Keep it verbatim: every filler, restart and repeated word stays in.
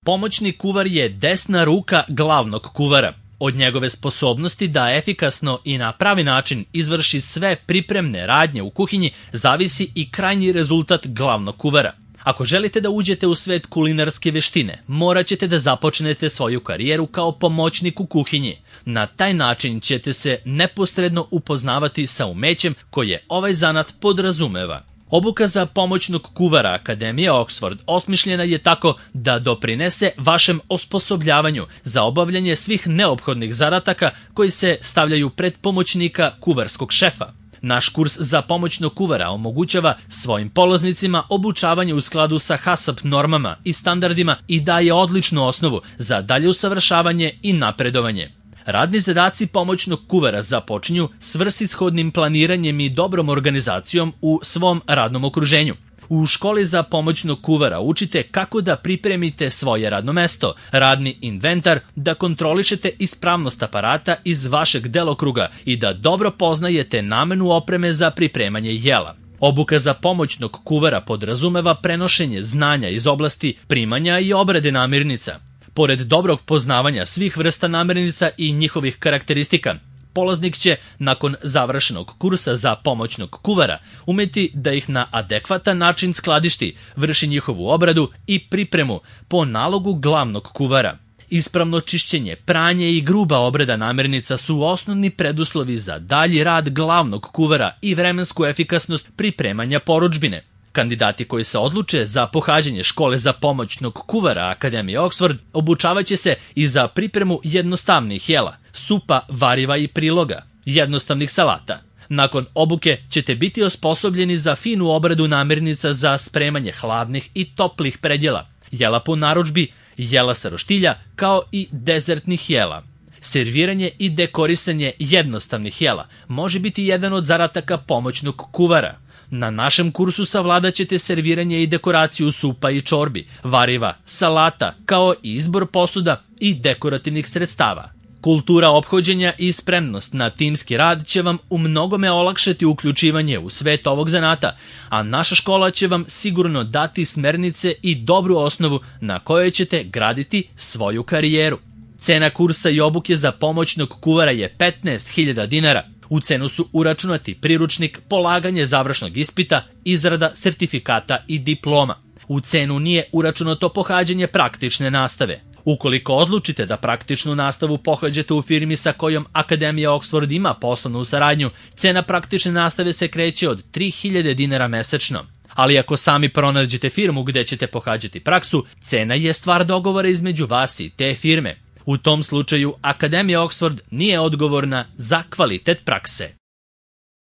Pomoćni kuvar je desna ruka glavnog kuvara. Od njegove sposobnosti da efikasno i na pravi način izvrši sve pripremne radnje u kuhinji zavisi i krajnji rezultat glavnog kuvara. Ako želite da uđete u svet kulinarske veštine, morat ćete da započnete svoju karijeru kao pomoćnik u kuhinji. Na taj način ćete se neposredno upoznavati sa umećem koje ovaj zanat podrazumeva. Obuka za pomoćnog kuvara Akademije Oxford osmišljena je tako da doprinese vašem osposobljavanju za obavljanje svih neophodnih zadataka koji se stavljaju pred pomoćnika kuvarskog šefa. Naš kurs za pomoćnog kuvara omogućava svojim polaznicima obučavanje u skladu sa HACCP normama i standardima i daje odličnu osnovu za dalje usavršavanje i napredovanje. Radni zadaci pomoćnog kuvara započinju svrsishodnim planiranjem i dobrom organizacijom u svom radnom okruženju. U školi za pomoćnog kuvara učite kako da pripremite svoje radno mesto, radni inventar, da kontrolišete ispravnost aparata iz vašeg delokruga i da dobro poznajete namenu opreme za pripremanje jela. Obuka za pomoćnog kuvara podrazumeva prenošenje znanja iz oblasti primanja i obrade namirnica. Pored dobrog poznavanja svih vrsta namirnica i njihovih karakteristika, polaznik će, nakon završenog kursa za pomoćnog kuvara, umeti da ih na adekvatan način skladišti, vrši njihovu obradu i pripremu po nalogu glavnog kuvara. Ispravno čišćenje, pranje i gruba obrada namirnica su osnovni preduslovi za dalji rad glavnog kuvara i vremensku efikasnost pripremanja porudžbine. Kandidati koji se odluče za pohađanje škole za pomoćnog kuvara Akademije Oxford obučavaće se i za pripremu jednostavnih jela, supa, variva i priloga, jednostavnih salata. Nakon obuke ćete biti osposobljeni za finu obradu namirnica za spremanje hladnih i toplih predjela, jela po narudžbi, jela sa roštilja, kao i dezertnih jela. Serviranje i dekorisanje jednostavnih jela može biti jedan od zadataka pomoćnog kuvara. Na našem kursu savladat ćete serviranje i dekoraciju supa i čorbi, variva, salata, kao i izbor posuda i dekorativnih sredstava. Kultura ophođenja i spremnost na timski rad će vam u mnogome olakšati uključivanje u svet ovog zanata, a naša škola će vam sigurno dati smernice i dobru osnovu na kojoj ćete graditi svoju karijeru. Cena kursa i obuke za pomoćnog kuvara je petnaest hiljada dinara. U cenu su uračunati priručnik, polaganje završnog ispita, izrada sertifikata i diploma. U cenu nije uračunato pohađanje praktične nastave. Ukoliko odlučite da praktičnu nastavu pohađate u firmi sa kojom Akademija Oxford ima poslovnu saradnju, cena praktične nastave se kreće od tri hiljade dinara mesečno. Ali ako sami pronađete firmu gde ćete pohađati praksu, cena je stvar dogovora između vas i te firme. U tom slučaju Akademija Oxford nije odgovorna za kvalitet prakse.